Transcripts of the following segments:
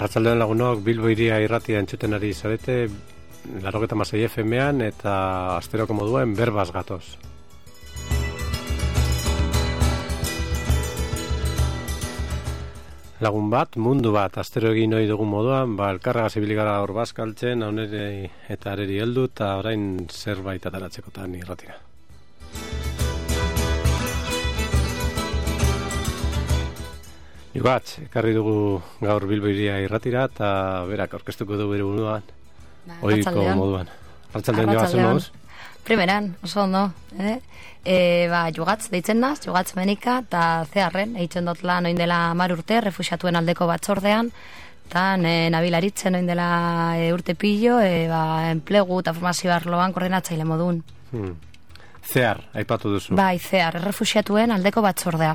Arratsaldean lagunok, Bilbo Hiria irratia entzuten ari zarete, 96 FM-ean eta asteroko moduen berbaz gatoz. Lagun bat, mundu bat, astero egin ohi dugun moduan, elkarragaz ibili gara hor bazkaltzen, hauneri eta areri heldu, eta orain zerbait ataratzekotan irratira. Ibatz, ekarri dugu gaur Bilbo Hiria irratira, eta berak aurkeztuko du bere buruan, ohiko moduan. Arratsaldean joazen moduz? Primeran, oso ondo. Jugatz, deitzen naz, Jugatz Menika, eta zeharren, eitzen dut lan oin dela 10 urte, refuxiatuen aldeko batzordean, eta nabilaritzen oin dela urte pillo, enplegu eta formazio arloan koordinatzaile modun. Zehar, aipatu duzu. Bai, zehar, refuxiatuen aldeko batzordea.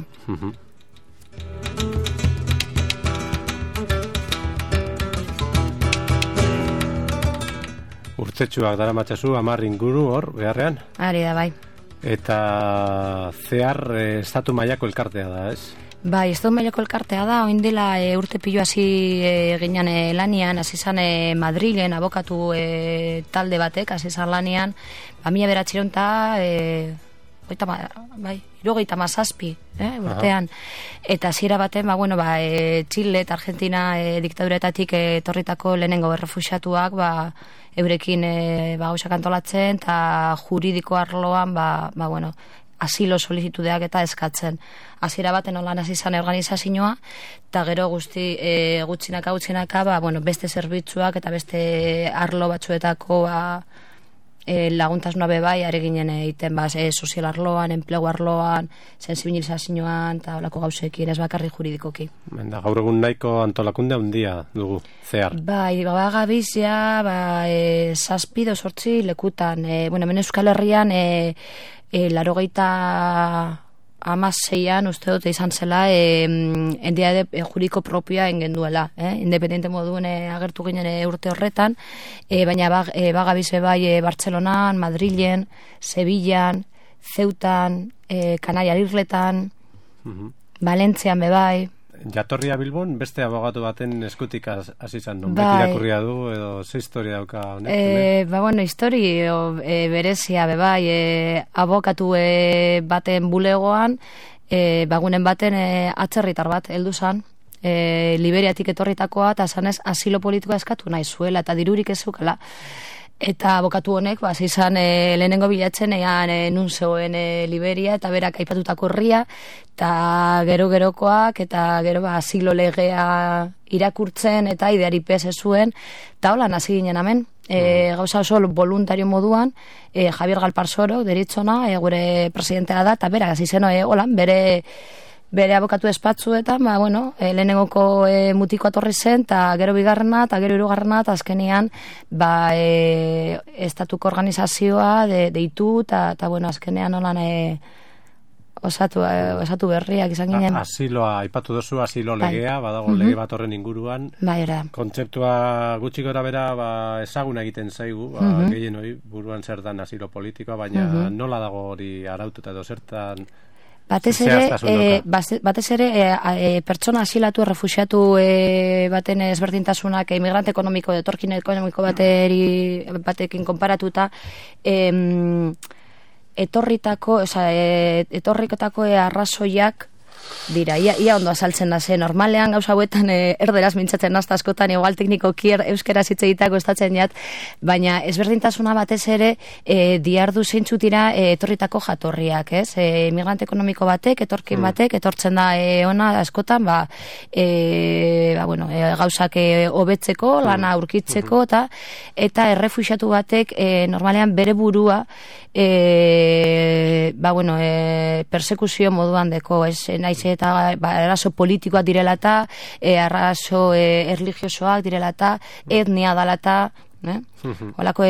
Urtetxuak dara matxasu, 10 inguru hor, beharrean? Ari da, bai. Eta zehar estatu mailako elkartea da, ez? Bai, estatu mailako elkartea da, oin dela urte pilo hasi ginen lanian, hasi zan Madrilen abokatu talde batek, hasi zan lanian, 1900 eta 37 urtean. Eta hasiera baten, Chile eta Argentina diktaduretatik etorritako lehenengo errefuxiatuak, eurekin gauzak antolatzen, eta juridiko arloan, asilo solicitudeak eta eskatzen. Hasiera baten olan hasi izan organizazioa, eta gero gutxinaka, beste zerbitzuak eta beste arlo batzuetako laguntasuna bebai, are ginen egiten sozial arloan, enplegu arloan, sensibilizazioan, eta olako gauzekin, ez bakarri juridikoki. Gaur egun nahiko antolakunde handia dugu, zehar. Bai, gabizia, 7-8 lekutan. Hemen Euskal Herrian, 86an uste dut izan zela entitate juridiko propioa engenduela, independente moduen agertu ginen urte horretan, baina bagabize bai Bartzelonan, Madrilen, Sevillan, Ceutan, Kanaria Irletan, Valentzian bebai. Jatorria Bilbon beste abogatu baten eskutik hasi izan, non beti irakurria du edo ze historia dauka honek? Historia berezia bebai, abokatu baten bulegoan, bagunen baten atzerritar bat heldu zan, Liberiatik etorritakoa, eta zanez asilo politikoa eskatu nahi zuela, eta dirurik ez zeukala. Eta abokatu honek, izan lehenengo bilatzen nun zegoen Liberia, eta berak aipatutako herria, eta gerokoak, eta gero asilo legea irakurtzen, eta ideari pez zuen, eta holan hasi ginen hemen. Gauza oso voluntario moduan, Javier Galparsoro, deritzona, gure presidentea da, eta berak hasi zen holan, bere abokatu espatzuetan, lehenengoko mutiko atorri zen, eta gero bigarrena, eta gero hirugarrena, eta azkenian, estatuko organizazioa deitu, eta azkenean holan osatu berriak izan ginen. Asiloa, aipatu duzu, asilo legea, badago lege bat horren inguruan. Kontzeptua gutxi gora bera ezaguna egiten zaigu, gehien hori buruan zer dan asilo politikoa, baina nola dago hori araututa edo zertan... Batez ere, pertsona asilatu, errefuxiatu baten ezberdintasunak, emigrante ekonomiko, etorkin ekonomiko batekin konparatuta, etorrikotako arrazoiak dira, ia ondo azaltzen da zen. Normalean gauza hauetan erderaz mintzatzen nazta askotan, igual teknikoki euskaraz hitz egiteko estatzen jat, baina ezberdintasuna batez ere diardu zeintzu dira etorritako jatorriak, ez? Migrante ekonomiko batek, etorkin batek, etortzen da ona askotan, gauzak hobetzeko, lana aurkitzeko, eta errefuxiatu batek normalean bere burua persekuzio moduan deko, ez? Naiz eta arazo politikoak direla eta arazo erligiosoak direla eta etnia dela eta holako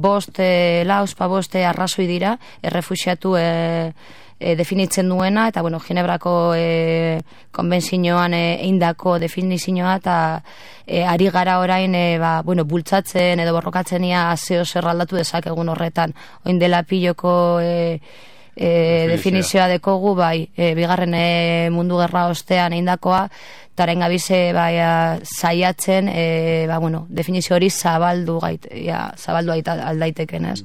bost arrazoi dira errefuxiatu definitzen duena, eta Ginebrako konbentzioan eindako definizioa, eta ari gara orain bultzatzen edo borrokatzen ia zeo zer aldatu dezakegun horretan. Oin dela piloko definizioa dekogu, bai, bigarren mundu gerra ostean eindakoa, taren gabize zaiatzen, definizio hori zabaldu aldaiteken, ez?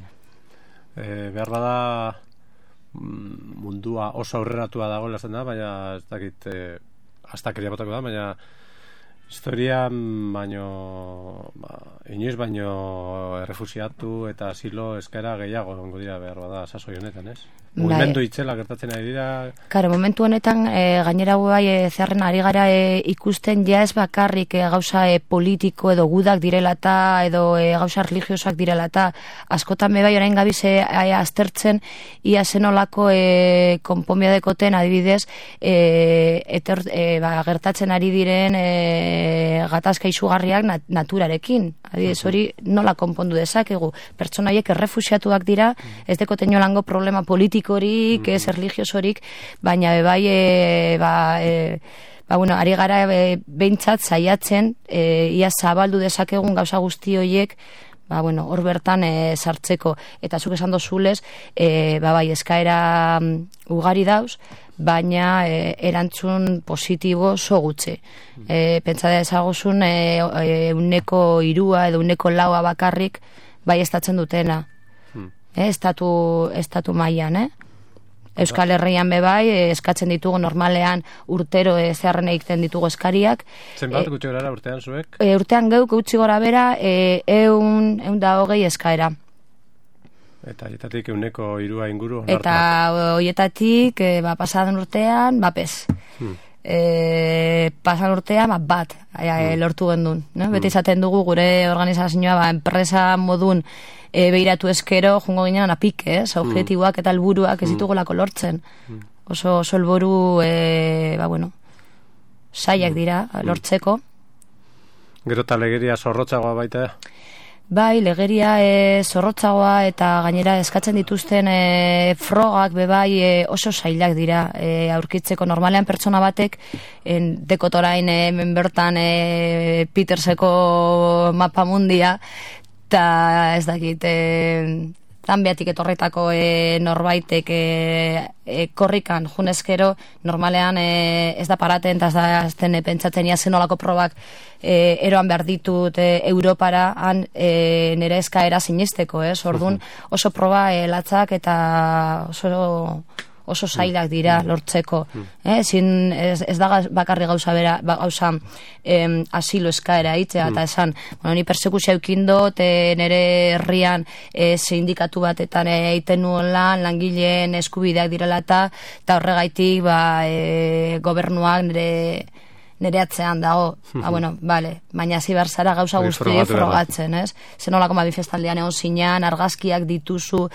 Behar bada mundua oso aurreratua dago lazen da, baina ez dakit astakeria botako da, baina historian inoiz baino errefusiatu eta asilo eskaera gehiago ongo dira behar bada sasoi honetan, ez? Mugimendu itzela gertatzen ari dira. Karo, momentu honetan gainera zeharren ari gara ikusten ja ez bakarrik gauza politiko edo gudak direlata edo gauza religiosak direlata, askotan bai orain gabiz aztertzen ia zenolako konponbia dekoten adibidez gertatzen ari diren gatazka izugarriak naturarekin. Adibidez, hori nola konpondu dezakegu. Pertsonaiek errefusiatuak dira, ez dekoten jolango problema politikorik, ez religiosorik, baina ari gara behintzat zaiatzen, ia zabaldu dezakegun gauza guzti horiek, hor bertan sartzeko. Eta zuk esan dozulez, eskaera ugari dauz, baina erantzun positibo sogutze. Pentsa da ezagozun 1/3 edo 1/4 bakarrik bai estatzen dutena. Estatu mailan, Euskal Herrian bai, eskatzen ditugu normalean urtero zeharren egiten ditugu eskariak. Zenbat gutxi gara urtean zuek? Urtean geuk gutxi gora bera 120 eskaera. Eta horietatik 1/3 inguru onartu. Eta horietatik pasadan urtean, pez. Pasan urtean, bat lortu gendun. Beti izaten dugu gure organizazioa enpresa modun behiratu eskero, jungo ginean apik, objetiboak eta helburuak ez ditugulako lortzen. Oso helburu, saiak dira lortzeko. Gero eta legeria zorrotzagoa baita? Bai, legeria zorrotzagoa eta gainera eskatzen dituzten frogak bebai oso zailak dira aurkitzeko. Normalean pertsona batek dekotorain bertan Peterseko mapamundia eta ez dakit Zambiatik etorretako norbaitek korrikan junezkero, normalean ez da paraten eta ez da azten pentsatzen ia zenolako probak eroan behar ditut Europara nire eskaera sinisteko, orduan oso proba latzak eta oso zailak dira lortzeko. Ez da bakarri gauza asilo eskaera itzea, eta esan, ni persekuzio eukindot, nire herrian sindikatu batetan egiten nuen langileen eskubideak direla eta horregaitik gobernuak nire atzean dago. Baina zibar zara gauza guzti frogatzen, ez? Zenolako manifestaldian egon zinean, argazkiak dituzu,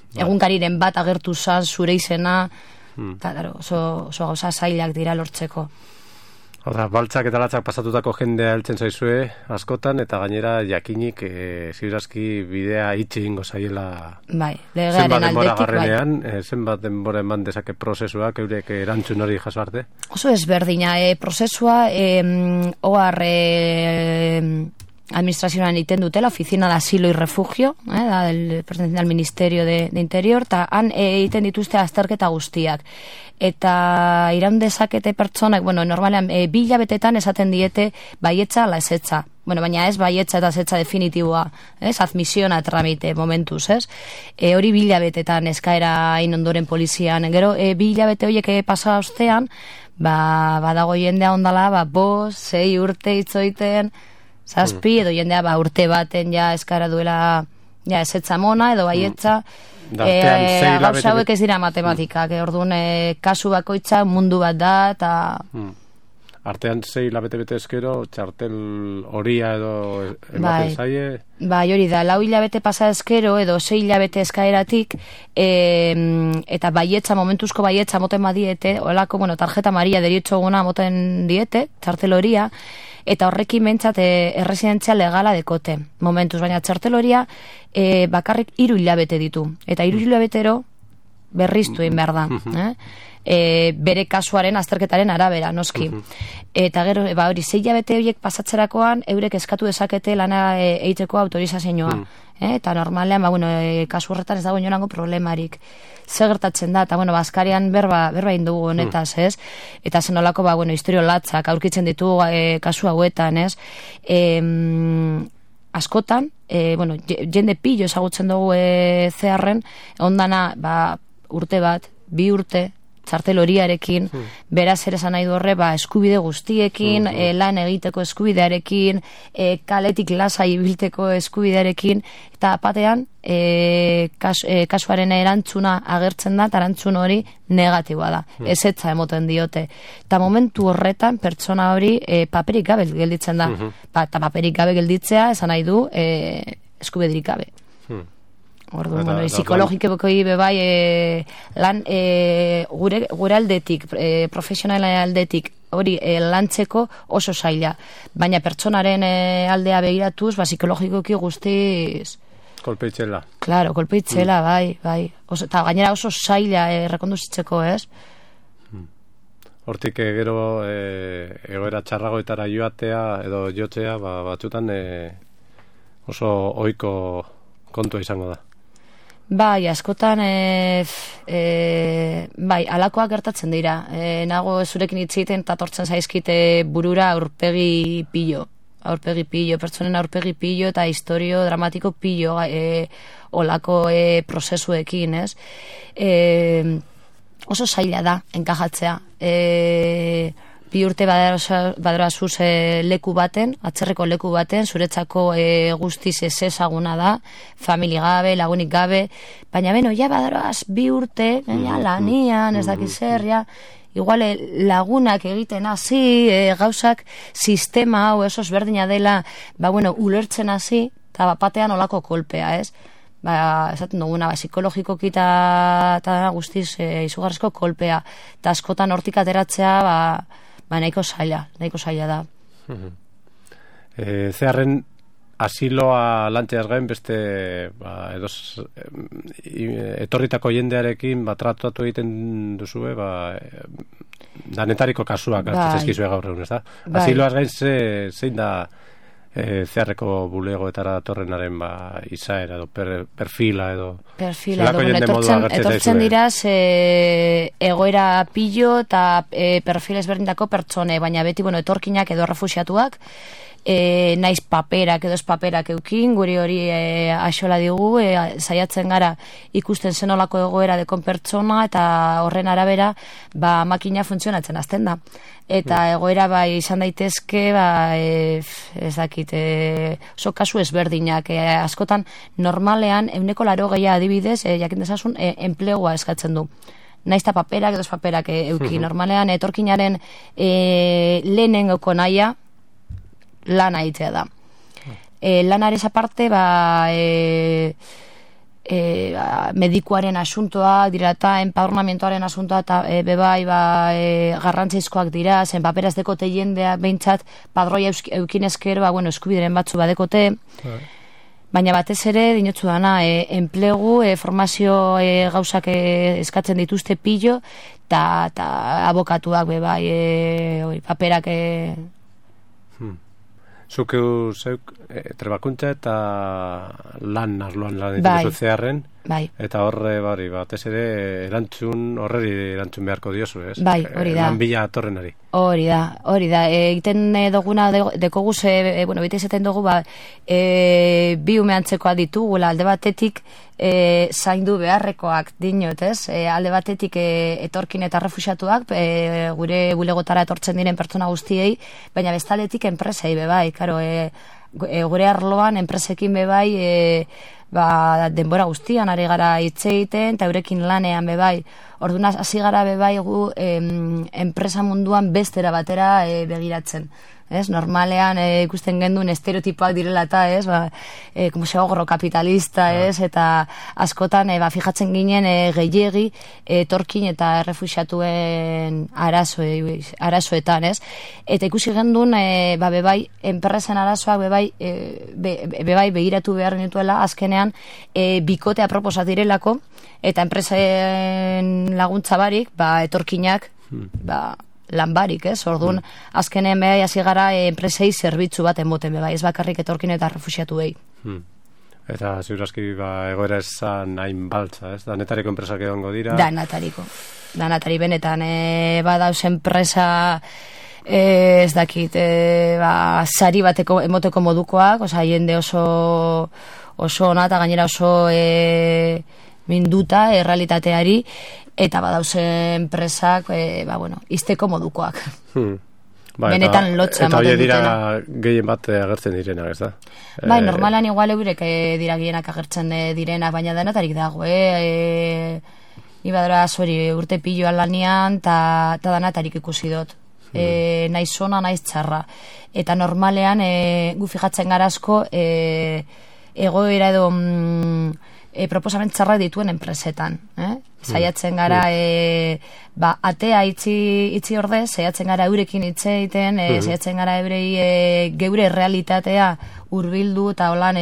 egunkariren bat agertu zan zure izena, eta oso gauza zailak dira lortzeko. Baltzak eta latzak pasatutako jendea heltzen zaizue askotan, eta gainera jakinik ziurazki bidea itxi ingo zaiela zenbat denbora garrenean, zenbat denbora eman dezake prozesuak eurek erantzun hori jaso arte? Oso ezberdina, prozesua administrazioan egiten dute, la Oficina de Asilo y Refugio, perteneciente al Ministerio de Interior, eta han egiten dituzte azterketa guztiak. Eta iraun dezakete pertsonak, normalean, 2 hilabetetan esaten diete baietza ala ezetza. Baina ez baietza eta ezetza definitiboa, admisiona tramite momentuz, hori 2 hilabetetan eskaera inondoren polizian. Gero, 2 hilabete horiek pasa ostean, badago jendea ondala, 5, 6 urte itzoiten, 7 edo jendea urte baten eskara duela ezetza mona edo baietza. Gauza hauek ez dira matematikak, orduan kasu bakoitza mundu bat da eta... Artean 6 hilabete bete eskero, txartel horia edo ematen zaie? Hori da, 4 hilabete pasa eskero edo 6 hilabete eskaeratik eta baietza, momentuzko baietza moten badiete, olako, tarjeta maria deriotxo guna moten diete, txartel horia, eta horrekin behintzat erresidentzia legala dekote momentuz, baina txartel horia bakarrik 3 hilabete ditu, eta 3 hilabetero berriztu egin behar da. bere kasuaren azterketaren arabera, noski. Eta gero, hori, 6 hilabete horiek pasatzerakoan, eurek eskatu dezakete lana egiteko autorizazioa. Eta normalean, kasu horretan ez dago inonango problemarik. Zer gertatzen da, eta, Baskarian berba indugu honetaz, ez? Eta zenolako, historio latzak aurkitzen ditu kasu hauetan, ez? Askotan, jende pillo ezagutzen dugu zeharren, ondana, urte bat, 2 urte, txartel horiarekin, beraz ere esan nahi du horre, eskubide guztiekin, lan egiteko eskubidearekin, kaletik lasai ibilteko eskubidearekin, eta batean, kasuaren erantzuna agertzen da, eta erantzun hori negatiboa da, ezetza emoten diote. Eta momentu horretan, pertsona hori paperik gabe gelditzen da. Eta paperik gabe gelditzea, esan nahi du, eskubiderik gabe. Orduan, psikologikoi bebai lan gure aldetik, profesionalen aldetik hori lantzeko oso zaila, baina pertsonaren aldea begiratuz, psikologikoki guztiz kolpeitzela. Claro, kolpeitzela, bai. Eta gainera oso zaila rekonduzitzeko, ez? Hortik gero egoera txarragoetara joatea edo jotzea, batzutan oso ohiko kontua izango da. Bai, askotan, alakoak gertatzen dira. Nago zurekin hitzeiten eta tortzen zaizkite burura aurpegi pillo, pertsonen aurpegi pillo eta historio dramatiko pillo olako prozesuekin, ez? Oso zaila da, enkajatzea. 2 urte baderazuz leku baten, atzerreko leku baten, zuretzako guztiz ezaguna da, familia gabe, lagunik gabe, baina baderaz 2 urte, lanian, ez dakiz zer, igual lagunak egiten hasi, gauzak sistema hau esos berdina dela, ulertzen hasi, eta batean olako kolpea, ez? Esaten duguna, psikologikoki eta guztiz izugarrizko kolpea, eta askotan hortik ateratzea, nahiko zaila da. Zeharren asiloa lantzeaz gain beste etorritako jendearekin tratatu egiten duzue danetariko kasuak hartzezkizue gaur egun, ez da? Asiloaz gain zein da zeharreko bulegoetara datorrenaren izaera edo perfila edo etortzen diraz egoera pillo eta perfil ezberdintako pertsone, baina beti etorkinak edo refuxiatuak, naiz paperak edo ez paperak eukin, guri hori axola digu, saiatzen gara ikusten zenolako egoera dekon pertsona eta horren arabera makina funtzionatzen azten da. Eta egoera izan daitezke, ez dakit, oso kasu ezberdinak, askotan normalean 80% adibidez, jakin dezasun, enplegua eskatzen du. Naizta paperak edo ez paperak eukin. Normalean etorkinaren lehenengoko nahia lana egitea da. Lanarez aparte, medikuaren asuntoa dira eta empadronamentoaren asuntoa eta bebai garrantzizkoak dira, zen paperaz dekote jendea behintzat padroia eukinezkero eskubideren batzu badekote, baina batez ere dinotzu dana enplegu, formazio gauzak eskatzen dituzte pillo eta abokatuak bebai paperak Zuk trebakuntza eta lan arloan lan dituzu zeharren, eta horre batez ere horreri erantzun beharko diozu, ez? Bai, hori da. Lan bila atorrenari. Hori da. Egiten duguna dekoguz, bete izaten dugu, bi umeantzekoa ditugula, alde batetik zaindu beharrekoak dinot, ez? Alde batetik etorkin eta refuxiatuak, gure bulegotara etortzen diren pertsona guztiei, baina bestaletik enpresei bebai, gure arloan enpresekin bebai denbora guztian ari gara hitz egiten eta eurekin lanean bebai. Orduan hasi gara bebai gu enpresa munduan bestera batera begiratzen. Normalean ikusten genduen estereotipoak direla eta como segorro kapitalista, eta askotan fijatzen ginen gehiegi etorkin eta refuxiatuen arazoetan, eta ikusi genduen bebai enpresen arazoak bebai begiratu behar nituela azkenean azkenean bikotea proposat direlako, eta enpresen laguntza barik, etorkinak, lan barik, ez? Orduan, azkenean behar hasi gara enpresei zerbitzu bat emoten behar, ez bakarrik etorkin eta refusiatuei. Eta ziurazki egoera esan hain baltza, ez? Danetariko enpresak egongo dira? Danatari benetan, badauz enpresa ez dakit, sari bateko emoteko modukoak, jende oso ona eta gainera oso minduta errealitateari, eta badauz enpresak, izteko modukoak. Benetan lotza eta hori dira gehien bat agertzen direnak, ez da? Normalan igual eurek dira gehienak agertzen direnak, baina denetarik dago, ibadora urte piloan lanian, eta denetarik ikusi dut. Naiz ona, naiz txarra. Eta normalean, gu fijatzen gara asko, egoera edo proposamen txarra dituen enpresetan. Zaiatzen gara, atea itzi orde, zaiatzen gara eurekin hitz egiten, zaiatzen gara eurei geure realitatea hurbildu eta holan,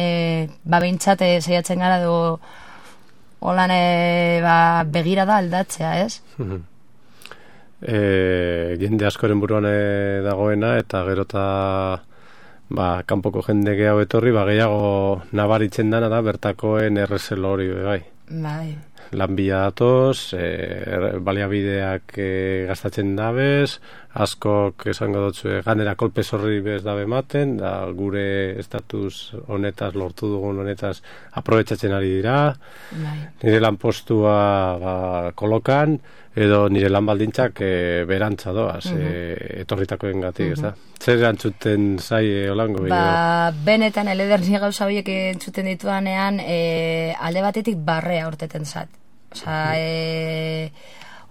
behintzat zaiatzen gara edo holan begira da aldatzea, ez? Jende askoren buruan dagoena, eta gerota kanpoko jende gehiago etorri, gehiago nabaritzen dana da bertakoen errezelo hori, bai. Lanbila datoz, baliabideak gastatzen dabez, askok esango dutzu ganera kolpe zorri bez dabe ematen, da gure estatus honetaz, lortu dugun honetaz aprobetsatzen ari dira, nire lanpostua kolokan, edo nire lan baldintzak berantza doaz, etorritakoen gatik, ez da? Zer antzuten zai holango? Benetan, elederni gauza horiek entzuten dituanean, alde batetik barrea urteten zat.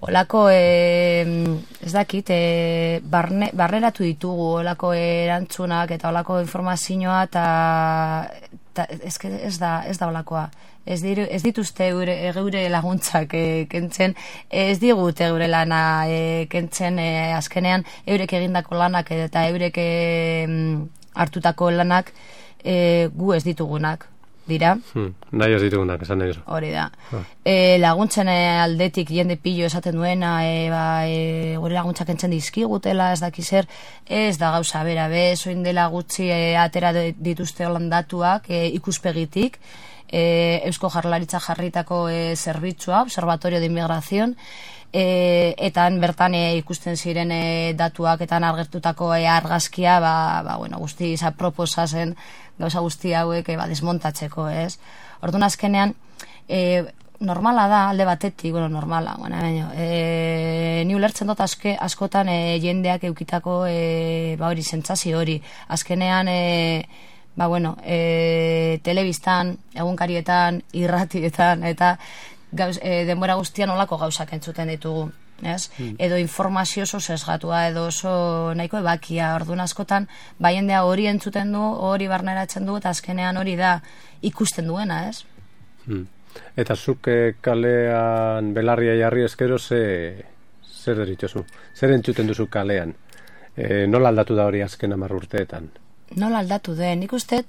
Olako, ez dakit, barreratu ditugu olako erantzunak eta olako informazioa, eta ez da olakoa. Ez dituzte geure laguntzak kentzen, ez digute geure lana kentzen azkenean eurek egindako lanak eta eurek hartutako lanak gu ez ditugunak dira. Nahi ez ditugunak, esan nahi. Hori da. Laguntzen aldetik jende pillo esaten duena, gure laguntzak kentzen dizkigutela, ez daki zer, ez da gauza bera, zoin dela gutxi atera dituzte holandatuak ikuspegitik, Eusko Jaurlaritza jarritako zerbitzua, Observatorio de Inmigración, eta bertan ikusten ziren datuak eta argertutako argazkia, guzti aproposa zen gauza guzti hauek desmontatzeko, ez? Orduan azkenean, normala da alde batetik, normala, ni ulertzen dut askotan jendeak eukitako hori sentsazio hori. Azkenean, telebistan, egunkarietan, irratietan, eta denbora guztian olako gauzak entzuten ditugu, ez? Edo informazio oso sesgatua, edo oso nahiko ebakia, orduan askotan, jendea hori entzuten du, hori barneratzen du, eta azkenean hori da ikusten duena, ez? Eta zuk kalean belarria jarri eskero zer deritzozu? Zer entzuten duzu kalean? Nola aldatu da hori azken 10 urteetan? Nola aldatu den? Nik uste,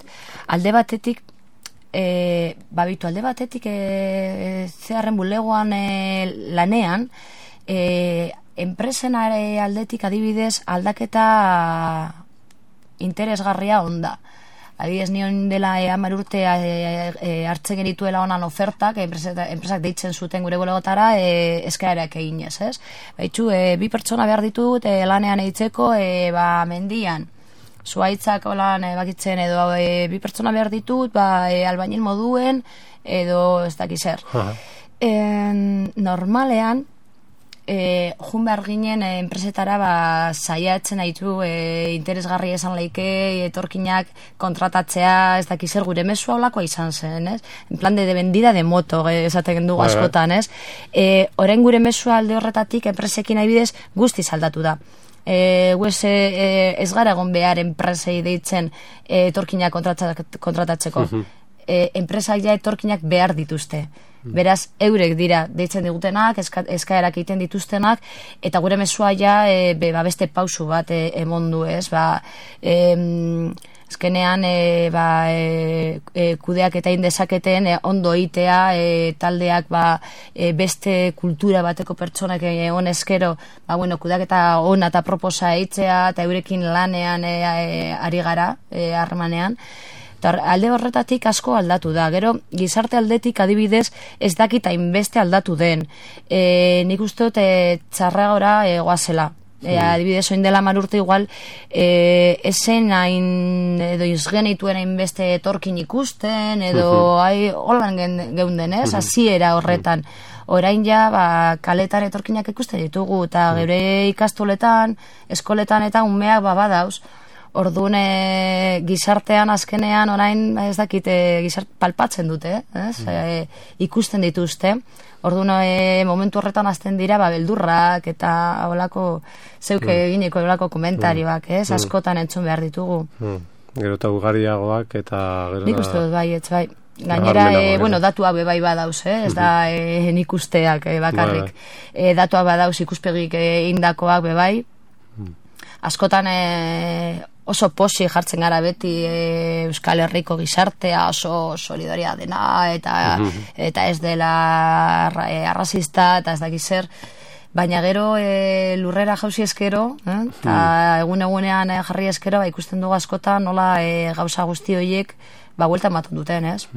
alde batetik alde batetik zeharren bulegoan lanean, enpresen aldetik adibidez aldaketa interesgarria onda. Adibidez nion dela 10 urte hartzen genituela honan ofertak, enpresak deitzen zuten gure bulegotara eskaerak eginez, ez? Baitxu, 2 pertsona behar ditut lanean eitzeko mendian. Zuaitzak holan bakitzen edo 2 pertsona behar ditut, albainil moduen, edo ez dakiz zer. Normalean, jun behar ginen enpresetara saiatzen haitu interesgarri esan leike, etorkinak kontratatzea, ez dakiz zer, gure mesua holakoa izan zen, ez? En plan de vendida de moto, esaten dugu askotan, ez? Orain gure mesua alde horretatik enpresekin adibidez guztiz aldatu da. Ez gara egon behar enpresei deitzen etorkinak kontratatzeko. Enpresak ja etorkinak behar dituzte. Beraz, eurek dira deitzen digutenak, eskaerak egiten dituztenak, eta gure mesua ja beste pausu bat emondu, ez? Azkenean kudeak eta indezaketen ondo itea, taldeak beste kultura bateko pertsonak honezkero, kudeak eta ona eta proposa eitzea, eta eurekin lanean ari gara, harremanean. Alde horretatik asko aldatu da. Gero, gizarte aldetik adibidez ez dakit hainbeste aldatu den. Nik uste dut txarragora goazela. Adibidez, oin dela 10 urte igual esen hain edo izgenituen hainbeste etorkin ikusten edo holan geunden, ez? Hasiera horretan. Orain ja, kaletan etorkinak ikusten ditugu eta geure ikastoletan, eskoletan eta umeak badauz. Orduan gizartean azkenean orain ez dakit palpatzen dute, ikusten dituzte. Orduan momentu horretan azten dira beldurrak eta holako zeuke egineko holako komentarioak, askotan entzun behar ditugu. Gero eta ugariagoak eta... Nik uste dut bai. Gainera, datuak bai badauz, ez da nik usteak bakarrik. Datuak badauz ikuspegik indakoak bai. Askotan oso posi jartzen gara beti Euskal Herriko gizartea oso solidaria dena eta ez dela arrazista eta ez dakiz zer, baina gero lurrera jauzi eskero eta egunean jarri eskero ikusten dugu askotan nola gauza guzti horiek buelta ematen duten, ez?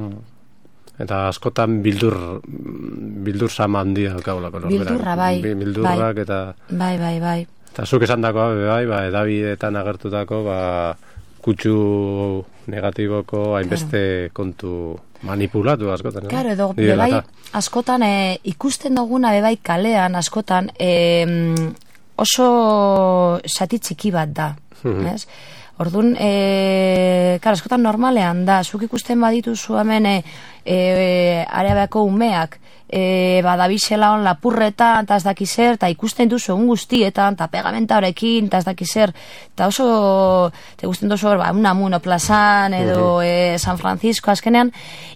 Eta askotan bildur sama handia kaulako. Bildurra, bai. Bildurrak eta... Bai. Eta zuk esan dakoa, edabideetan agertutako, kutsu negatiboko hainbeste kontu manipulatu askotan. Claro, edo, askotan ikusten duguna kalean, askotan oso sati txiki bat da, ez? Orduan, askotan normalean da, zuk ikusten badituzu hemen Arabiako umeak, badabizela on lapurreta eta ez dakizer, eta ikusten duzu egun guztietan, eta pegamenta horrekin, eta ez dakizer, eta oso te gusten duzu Unamuno plazan edo San Francisco azkenean,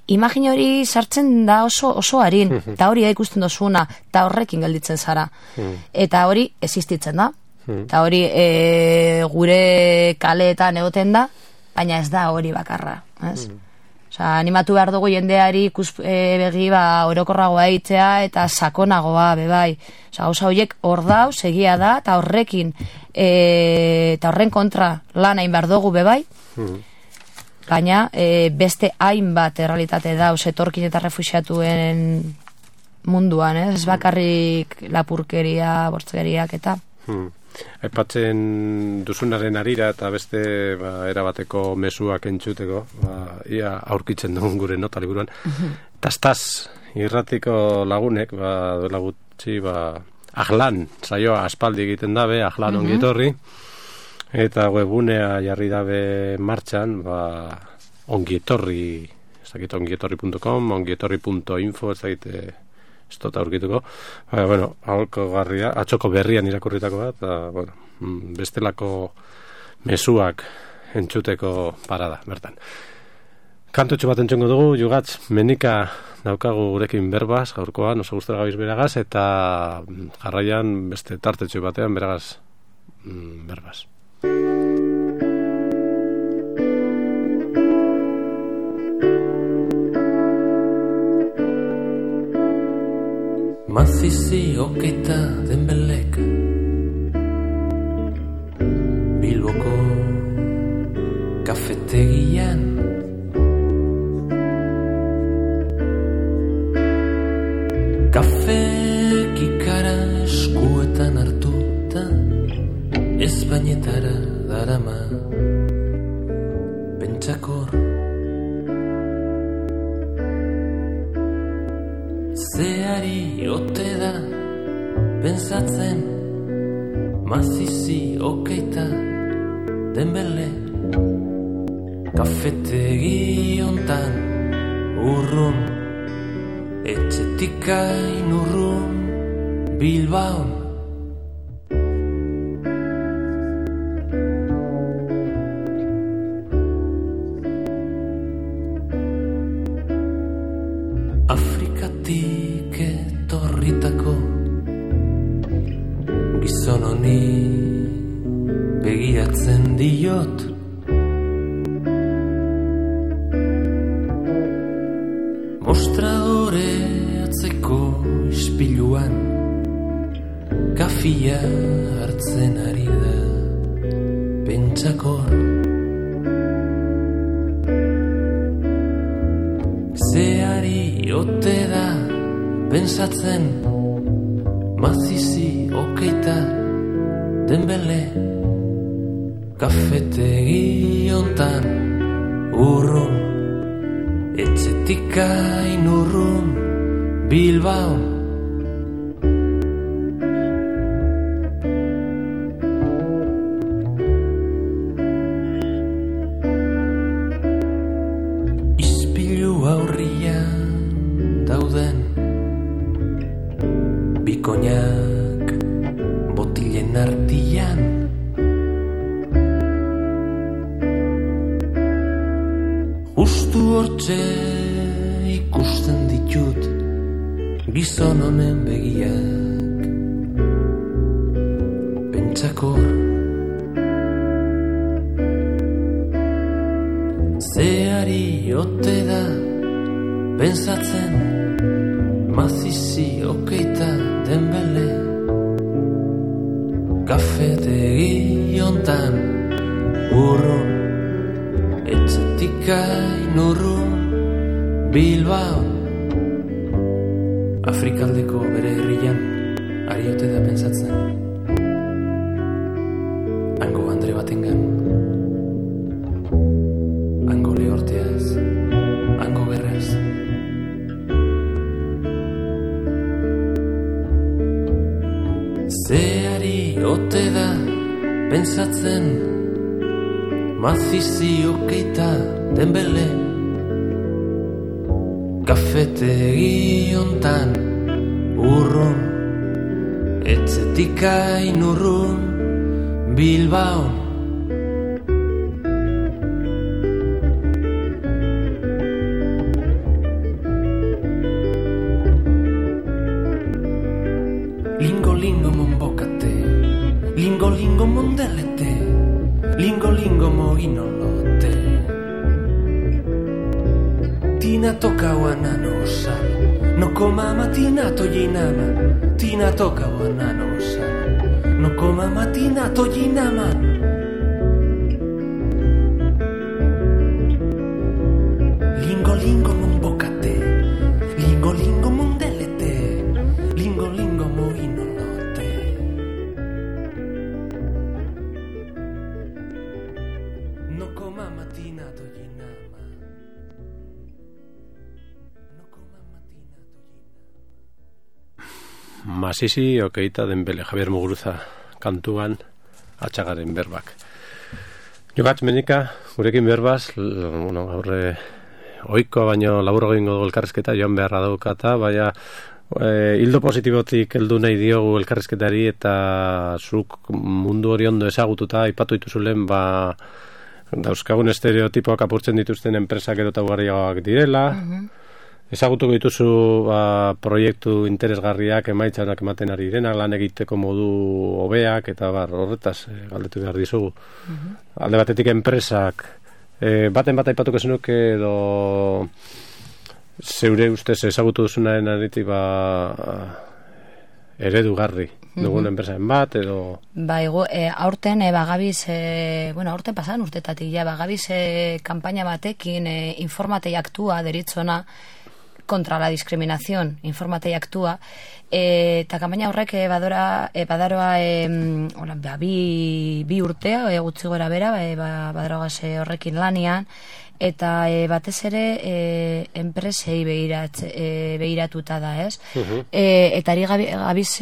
imagine hori sartzen da oso harin, eta hori ikusten duzuna, eta horrekin gelditzen zara, eta hori existitzen da, eta hori gure kaleetan egoten da, baina ez da hori bakarra, ez? Animatu behar dugu jendeari begi orokorragoa eitzea eta sakonagoa, bai. Gauza horiek hor dauz, egia da, eta horrekin eta horren kontra lan hain behar dugu, bai. Baina beste hainbat errealitate dauz etorkin eta refuxiatuen munduan, ez bakarrik lapurkeria, bortzeriak eta... Aipatzen duzunaren arira eta beste erabateko mezuak entzuteko, ia aurkitzen dugun gure nota liburuan. Tastaz irratiko lagunek, duela gutxi, Ahlan, saioa aspaldi egiten dabe, Ahlan ongietorri, eta webunea jarri dabe martxan, ongietorri, ez dakit ongietorri.com, ongietorri.info, ez dakit ez dut aurkituko, aholko garria, atxoko berrian irakurritako bat, bestelako mezuak entzuteko parada, bertan. Kantutxo bat entzungo dugu, Jugatz, menika daukagu gurekin berbaz, gaurkoan, oso guztera gabiz beragaz, eta jarraian beste tartetxo batean beragaz berbaz. Mazizi oketa denbelek Bilboko kafetegian Kafe kikara eskuetan hartuta Ezpainetara darama Pentsakor Zeari ote da pensatzen Mazizi okeita denbele Kafetegi ontan urrun Etxetik hain urrun Bilbaon Afrikatik etorritako Gizon honi begiratzen diot fia hartzen ari da pentsakor. Zeari ote da pensatzen mazizi okeita Dembele kafetegi hontan urrun etxetik hain urrun Bilbao. Bikoinak botilen artian justu hortxe ikusten ditut gizon honen begiak pentsakor. Zeari ote da pensatzen mazizi okeita Dembele kafetegi hontan urrun etxetik hain urrun Bilbao. Afrikaldeko bere herrian ari ote da pentsatzen hango andre batengan, hango lehorteaz, hango gerraz. Zeari ote da pentsatzen mazizi okeita Dembele kafetegi hontan urrun etxetik hain urrun Bilbao. Lingo monbokate, lingo mondelete, lingo moginolote. Tina toka wanano sal, no coma matina toyinama. Tina toka wanano sal, no coma matina toyinama. Lingo monbokate, lingo mondelete, lingo moginolote. No coma matina toyinama. Mazizi okeita Dembele, Javier Muguruza kantuan atxagaren berbak. Jogatz menika, gurekin berbaz, aurre oikoa baino labur egingo dugu elkarrizketa, joan beharra daukata, baina hildo positibotik heldu nahi diogu elkarrizketari eta zuk mundu hori ondo ezagututa aipatu dituzulen, dauzkagun estereotipoak apurtzen dituzten enpresak edo ugariagoak direla, ezagutuko dituzu proiektu interesgarriak emaitzanak ematen ari direnak, lan egiteko modu hobeak eta horretaz galdetu behar dizugu. Alde batetik enpresak baten bat aipatuko zenuke edo zeure ustez ezagutu duzunaren aritik eredugarri dugun enpresaren bat edo... Aurten bagabiz, aurten pasan urtetatik bagabiz kampaina batekin Informatei Aktua deritzona contra la discriminación, Informatei Aktua, eta kampaina horrek badaroa bi urtea gutxi gora bera badaroa horrekin lanian, eta batez ere enpresei behiratuta da, ez? Eta ari gabiz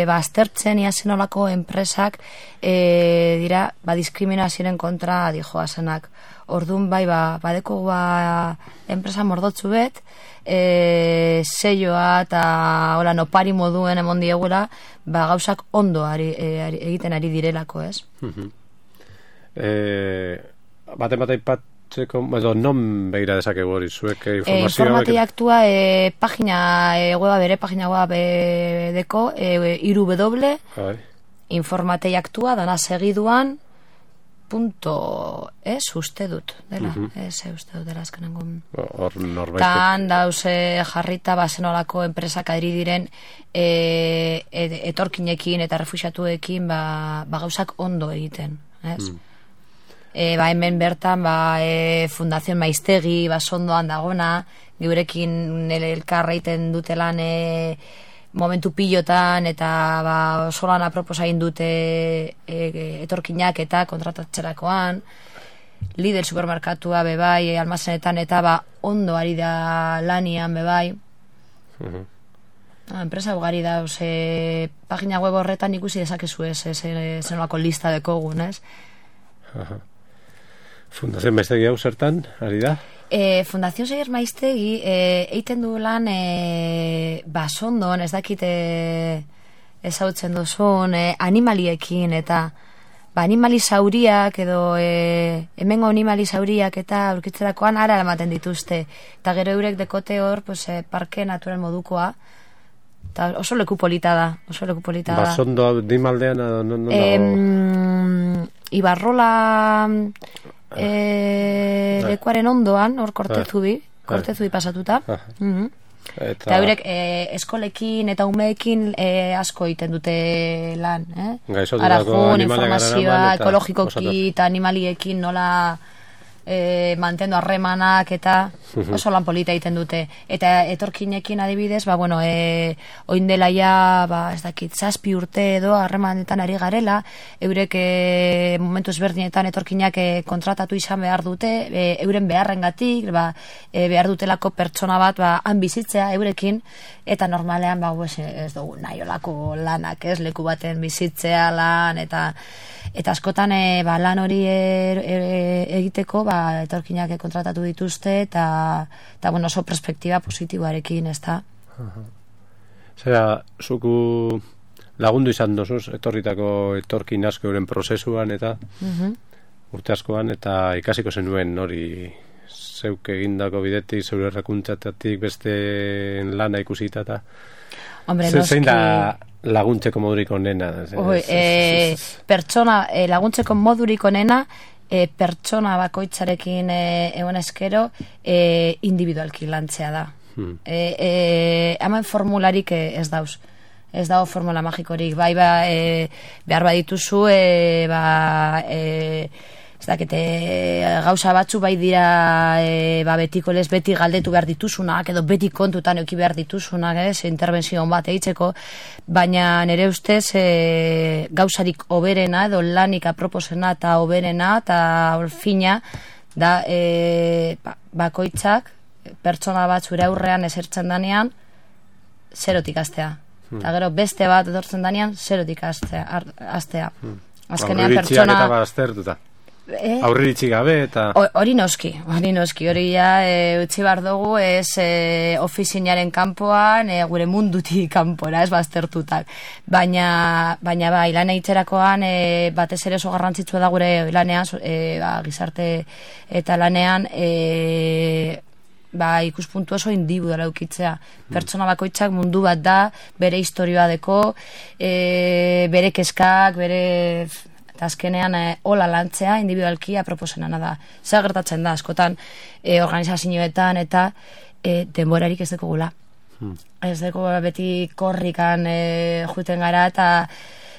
aztertzen iazen olako enpresak dira diskriminazioaren kontra dijoazenak. Orduan badeko enpresa mordotzu bet, seioa eta nopari moduen emon diegula, gauzak ondo egiten ari direlako, ez? Baten bat aipatzeko, non behira dezakegu hori, zuek informazioa... Informatei Aktua bere pagina web deko, www.informateiaktua dana segiduan uste dut, dela, uste dut, dela azkenengo. Hor norbaitek. Tan dauze jarrita, zenolako enpresak adiri diren etorkinekin eta refuxiatuekin gauzak ondo egiten, ez? Hemen bertan, Fundación Maiztegi, sondoan dagona, geurekin elkarreiten dutelan momentu pilotan, eta solan aproposa dute etorkinak eta kontratatzerakoan, Lidl supermerkatua bebai, almazenetan, eta ondo ari da lanian bebai. Enpresa ugari da, pagina web horretan ikusi dezakezu zenolako lista dekogun, ez? Fundazio Maiztegi hau zertan, ari da? Fundazio Seier Maiztegi eiten du lan basondon, ez dakite ezautzen duzun, animaliekin, eta animali zauriak edo hemengo animali zauriak eta aurkitzerakoan ara ematen dituzte, eta gero eurek dekote hor parke natural modukoa, eta oso leku polita da, Basondo animaldean Ibarrola lekuaren ondoan, hor kortezu bi pasatuta. Eta eurek eskolekin eta umeekin asko egiten dute lan. Arajun, informazioa, ekologikoki eta animaliekin nola mantendu harremanak eta oso lan polita egiten dute. Eta etorkinekin adibidez, oin dela ja, ez dakit, 7 urte edo harremanetan ari garela, eurek momentu ezberdinetan etorkinak kontratatu izan behar dute, euren beharrengatik, behar dutelako pertsona bat han bizitzea eurekin, eta normalean ez dugu nahi olako lanak, ez, leku baten bizitzea lan, eta askotan lan hori egiteko etorkinak kontratatu dituzte eta oso perspektiba positiboarekin, ez da. Zera, zuku lagundu izan dozuz etorritako etorkin asko euren prozesuan eta urte askoan, eta ikasiko zenuen hori zeuk egindako bidetik, zeure errakuntzatatik beste lana ikusita eta zein da laguntzeko modurik onena? Pertsona laguntzeko modurik onena pertsona bakoitzarekin egon eskero individualki lantzea da. Hemen formularik ez dauz. Ez dago formula magikorik. Behar badituzu ez dakite gauza batzu dira betiko lez beti galdetu behar dituzunak edo beti kontutan euki behar dituzunak, interbentzio bat egiteko, baina nire ustez gauzarik oberena edo lanik aproposena eta oberena eta fina da bakoitzak pertsona bat zure aurrean esertzen danean zerotik hastea. Eta gero beste bat etortzen danean zerotik hastea. Azkenean pertsona eta baztertuta. Aurriritzi gabe eta hori noski, hori utzi behar dugu ofizinaren kanpoan, gure mundutik kanpora, ez baztertutak, baina lan egiterakoan batez ere oso garrantzitsua da gure lanean, gizarte eta lanean ikuspuntu oso individuala eukitzea. Pertsona bakoitzak mundu bat da, bere historioa deko, bere kezkak, bere... Eta azkenean hola lantzea individualki aproposenana da. Zer gertatzen da, askotan organizazioetan eta denborarik ez dekogula. Ez deko beti korrikan juten gara eta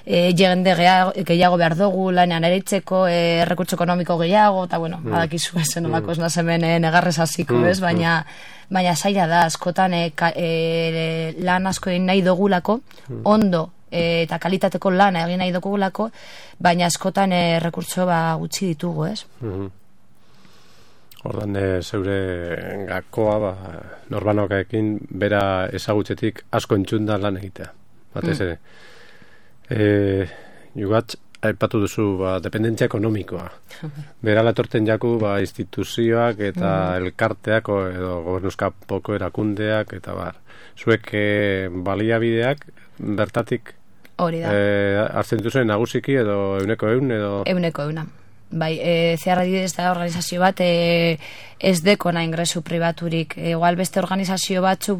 jende gehiago behar dugu lanean ereitzeko, errekurtso ekonomiko gehiago, eta badakizu ezen olako ez nazemen negarrez hasiko, ez? Baina zaila da, askotan lan asko egin nahi dugulako, ondo eta kalitateko lana egin nahi dugulako, baina askotan rekurtso gutxi ditugu, ez? Ordan zeure gakoa norbanokaekin bera ezagutzetik asko entzunda lan egitea. Batez ere. Jugatz, aipatu duzu dependentzia ekonomikoa. Berala etorten jaku instituzioak eta elkarteak edo gobernuzkapoko erakundeak eta zuek baliabideak bertatik hori da. Hartzen duzen nagusiki edo 100 edo... 100 Zear adibidez da organizazio bat ez dekona ingresu pribaturik. Igual beste organizazio batzu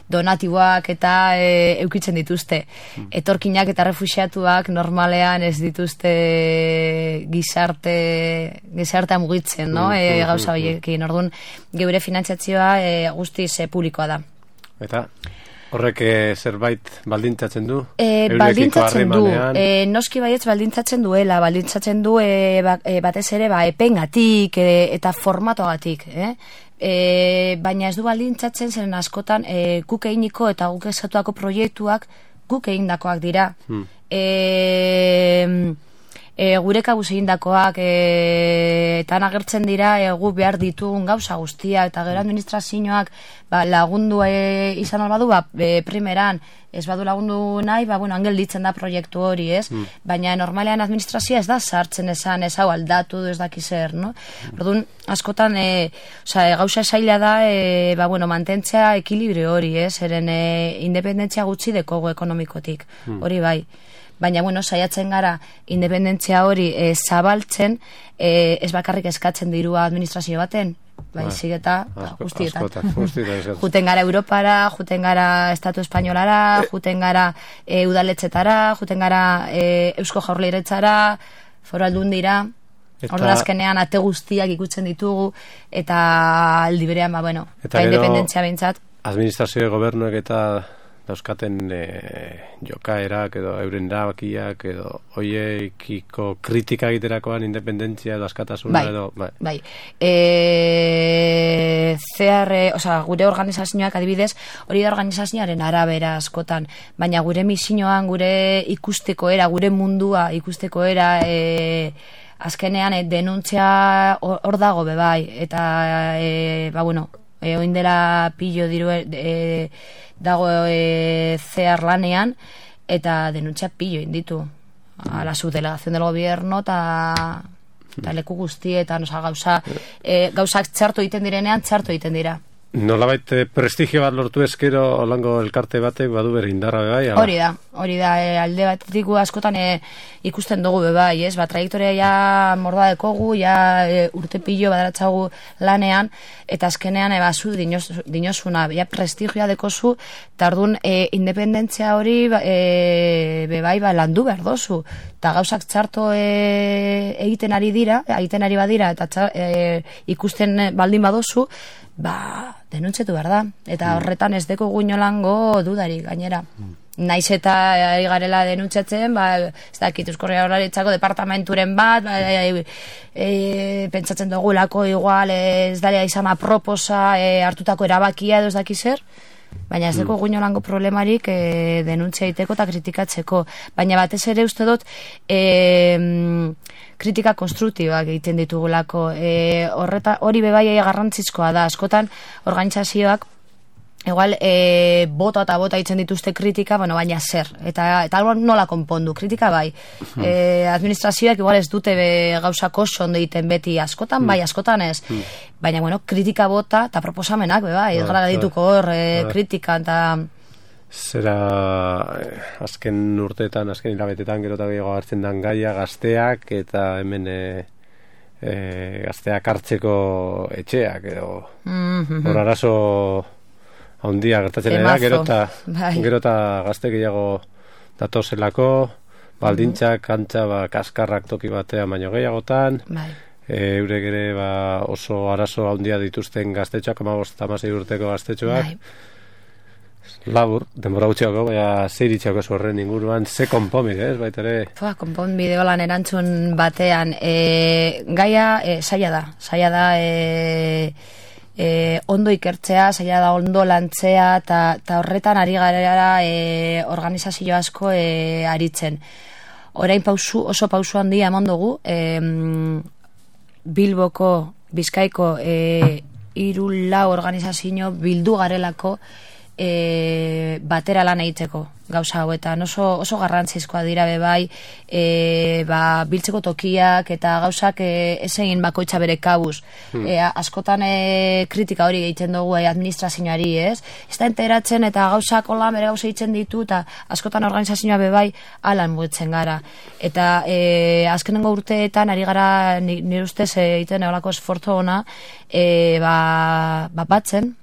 donatiboak eta eukitzen dituzte. Etorkinak eta refuxiatuak normalean ez dituzte gizartea mugitzen, no? Gauza horiekin. Orduan, geure finantziazioa guztiz publikoa da. Eta horrek zerbait baldintzatzen du? Baldintzatzen du. Noski baietz baldintzatzen duela. Baldintzatzen du batez ere epengatik eta formatoagatik. Baina ez du baldintzatzen zeren askotan guk eginiko eta guk esatuako proiektuak guk egindakoak dira. Gure kabuz egindakoak eta agertzen dira gu behar ditugun gauza guztia eta gero administrazioak lagundu izan albadu primeran ez badu lagundu nahi, angel ditzen da proiektu hori, ez? Baina normalean administrazioa ez da sartzen esan, ez hau aldatu, ez daki zer, no? Orduan, askotan, gauza esaila da, mantentzea ekilibrio hori, ez? Eren independentzia gutxi dekogu ekonomikotik, hori bai. Baina, saiatzen gara independentzia hori zabaltzen, ez bakarrik eskatzen dirua administrazio baten, baizik eta guztietan. Juten gara Europara, juten gara Estatu Espainolara, juten gara udaletzetara, juten gara Eusko Jaurlaritzara, Foru Aldundira, orduan azkenean ate guztiak ikutzen ditugu, eta aldi berean, independentzia behintzat. Administrazio gobernuek eta dauzkaten jokaerak edo euren erabakiak edo hoiekiko kritika egiterakoan independentzia edo askatasuna edo... Bai. Gure organizazioak adibidez, hori da organizazioaren arabera askotan, baina gure misioan, gure ikusteko era, gure mundua ikusteko era, azkenean denuntzia hor dago bebai, eta, oindela pillo diru dago zehar lanean eta denuntzia pillo inditu a la subdelegación del gobierno eta leku guztietan, gauzak txarto egiten direnean, txarto egiten dira. Nolabait prestigio bat lortu ezkero holango elkarte batek badu bere indarra bai? Hori da, alde batetik askotan ikusten dugu bai, ez? Trajektoria ja morda dekogu, ja urte pillo badaratzagu lanean, eta azkenean zu dinosuna, ja prestigioa dekozu, eta orduan independentzia hori bai landu behar dozu, eta gauzak txarto egiten ari badira, eta ikusten baldin badozu, denuntzetu behar da. Eta horretan ez deko guinolango dudarik gainera. Naiz eta garela denuntzatzen, ez dakit Eusko Jaurlaritzako departamenturen bat, pentsatzen dugulako igual ez daria izan aproposa hartutako erabakia edo ez daki zer, baina ez deko guinolango problemarik denuntzia egiteko eta kritikatzeko. Baina batez ere uste dut kritika konstruktibak egiten ditugulako. Hori bebai garrantzizkoa da. Askotan organizazioak igual bota eta bota egiten dituzte kritika, baina zer. Eta nola konpondu, kritika bai. Administrazioak igual ez dute gauzak oso ondo egiten beti, askotan bai, askotan ez. Baina, kritika bota eta proposamenak, bai, ez gara dituko hor kritika eta... Zera azken urteetan, azken hilabetetan gero eta gehiago hartzen dan gaia gazteak eta hemen gazteak hartzeko etxeak edo hor arazo handia gertatzen dira, gero eta gazte gehiago datozelako, baldintzak, kantza, kaskarrak toki batean baino gehiagotan, eurek ere oso arazo handia dituzten gaztetxoak, 15-16 urteko gaztetxoak, labur, denbora gutxiako, zeiritxako horren inguruan, ze konponbide, ez baita ere? Konponbide holan erantzun batean, gaia zaila da ondo ikertzea, zaila da ondo lantzea, eta horretan ari gara organizazio asko aritzen. Orain oso pausu handia eman dugu, Bilboko, Bizkaiko 3-4 organizazio bildu garelako batera lan egiteko gauza hauetan oso garrantzizkoa dira bebai biltzeko tokiak eta gauzak ezegin bakoitza bere kabuz askotan kritika hori egiten dugu administrazioari ez da enteratzen eta gauzak hola bere gauza egiten ditu eta askotan organizazioa bebai alan muetzen gara eta azkenengo urteetan ari gara nire ustez egiten eolako esfortzu ona batzen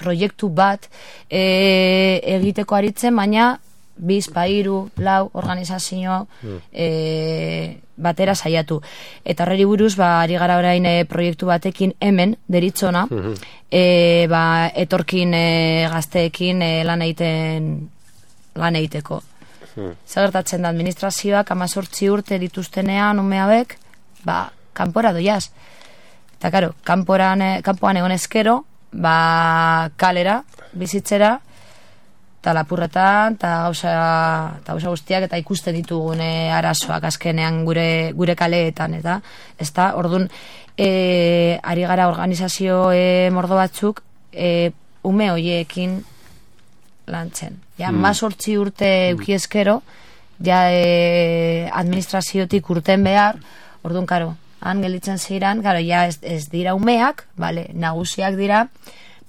proiektu bat egiteko aritzen, baina 2, 3, 4 organizazio batera saiatu. Eta horreri buruz, ari gara orain proiektu batekin hemen, deritzona, etorkin gazteekin lan egiteko. Zagertatzen da administrazioak 18 urte dituztenean ume hauek, kanpora doiaz. Eta karo, kanpoan egon ezkero, kalera, bizitzera, eta lapurretan, eta gauza guztiak, eta ikusten ditugune arazoak azkenean gure kaleetan, eta ez da, orduan, ari gara organizazio mordo batzuk, ume hoiekin lantzen. Ja, 18 urte eukiezkero, ja administraziotik urten behar, orduan, karo, han gelditzen ziren, gara, ja ez dira umeak, nagusiak dira,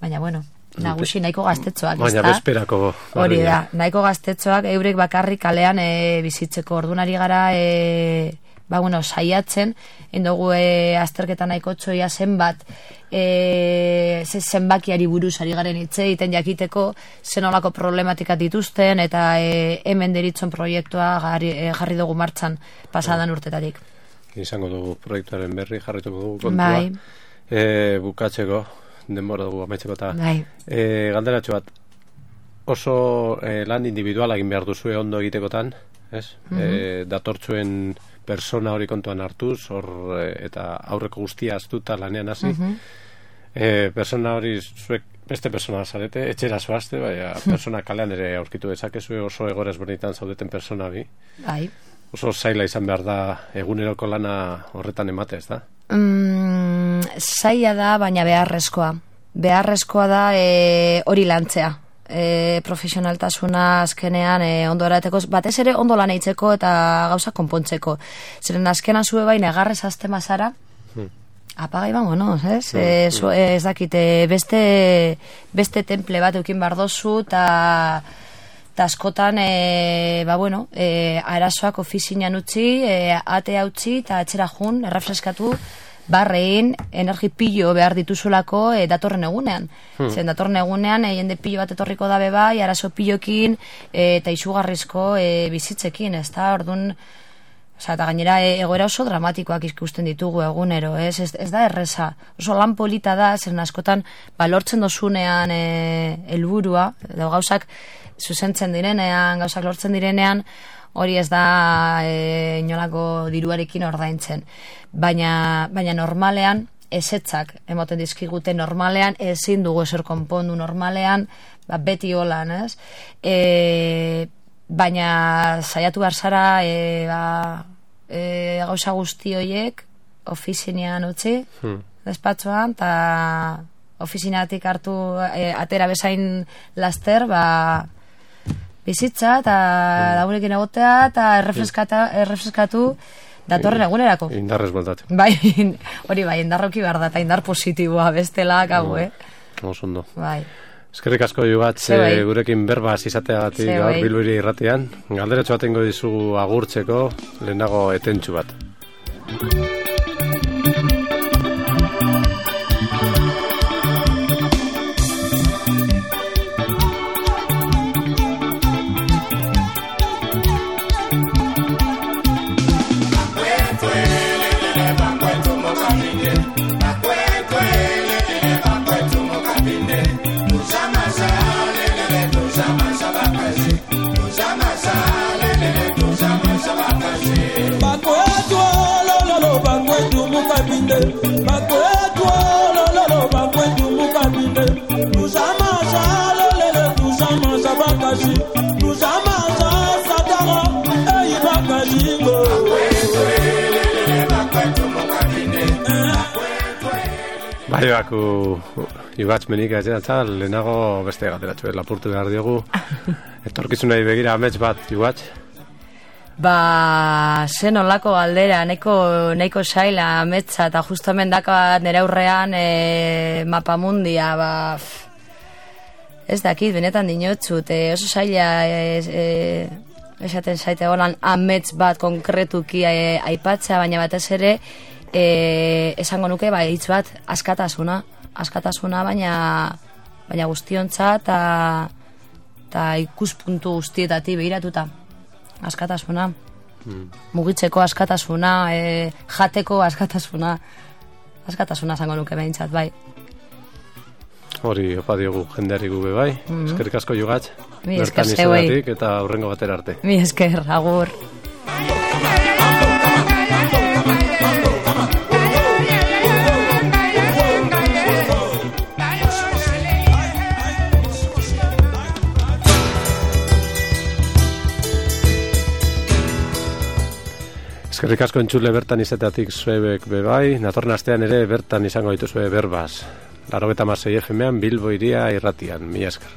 baina, bueno, nagusi nahiko gaztetxoak, ez da? Baina bezperako. Hori da, nahiko gaztetxoak eurek bakarrik kalean bizitzeko, ordunari gara, saiatzen, indogu azterketa nahiko txoia zenbat, zenbakiari buruz ari garen hitze, iten jakiteko zenolako problematikat dituzten, eta hemen deritzen proiektua jarri dugu martxan pasadan urtetatik. Izango dugu proiektuaren berri, jarrituko dugu kontua. Bukatzeko, denbora dugu amaitzeko eta galderatxo bat, oso lan individuala egin behar duzue ondo egitekotan, ez? Datortzuen persona hori kontuan hartuz, eta aurreko guztia aztuta lanean hasi. Persona hori zuek beste persona zarete, etxera zoazte, persona kalean ere aurkitu dezakezue oso egoera ezberdinetan zaudeten persona bi. Oso zaila izan behar da eguneroko lana horretan emate, ez da? Zaila da, baina beharrezkoa. Beharrezkoa da hori lantzea. Profesionaltasuna azkenean ondo erateko, batez ere ondo lan eitzeko eta gauza konpontzeko. Zeren azkenan zue bai negarrez azte mazara, apagai bangonoz, ez? Ez dakite, beste temple bat eukin bardozu eta askotan, arazoak ofizinan utzi, atea utzi eta etxera jun, errefreskatu, barrein, energi pilo behar dituzulako datorren egunean. Zen datorren egunean, jende pilo bat etorriko da bebai, arazo pilokin eta izugarrizko bizitzekin, ez da, orduan, eta gainera egoera oso dramatikoak ikusten ditugu egunero, ez da erreza. Oso lan polita da, zen askotan, lortzen dozunean helburua, edo gauzak zuzentzen direnean, gauzak lortzen direnean, hori ez da inolako diruarekin ordaintzen. Baina normalean, ezetzak emoten dizkigute normalean, ezin dugu ezer konpondu normalean, beti holan, ez? Baina saiatu behar zara gauza guzti horiek ofizinean utzi, despatxoan, eta ofizinatik hartu atera bezain laster, bizitza eta lagunekin egotea eta errefreskatu datorren egunerako. Indarrez bueltatu. Bai, hori bai, indarroki behar da eta indar positiboa bestela gago, Oso. Bai. Eskerrik asko Jubatz, gurekin berbaz izateagatik gaur Bilbiri irratian. Galderatxo bat ingo dizugu agurtzeko, lehenago etentxu bat. Ibatz menik etxeratza, lehenago beste gateratxo, lapurtu behar diogu. Etorkizunei begira amets bat, Ibatz? Zen olako galdera, nahiko saila ametsa, eta justamen daka nire aurrean mapamundia, ez dakit, benetan dinotzut, oso saila esaten zaite holan amets bat konkretuki aipatzea, baina batez ere esango nuke hitz bat askatasuna, baina guztiontzat eta ikuspuntu guztietatik behiratuta askatasuna, mugitzeko askatasuna, jateko askatasuna esango nuke behintzat, bai. Hori opa diogu jendeari gube bai. Eskerrik asko Jugatz. Mi esker zeuei. Eta hurrengo batera arte. Mi esker, agur. Eskerrik asko entzule bertan izateatik zuebek bebai. Natorren astean ere bertan izango dituzue berbaz. 96 FM-an Bilbo Hiria irratian. Mila esker.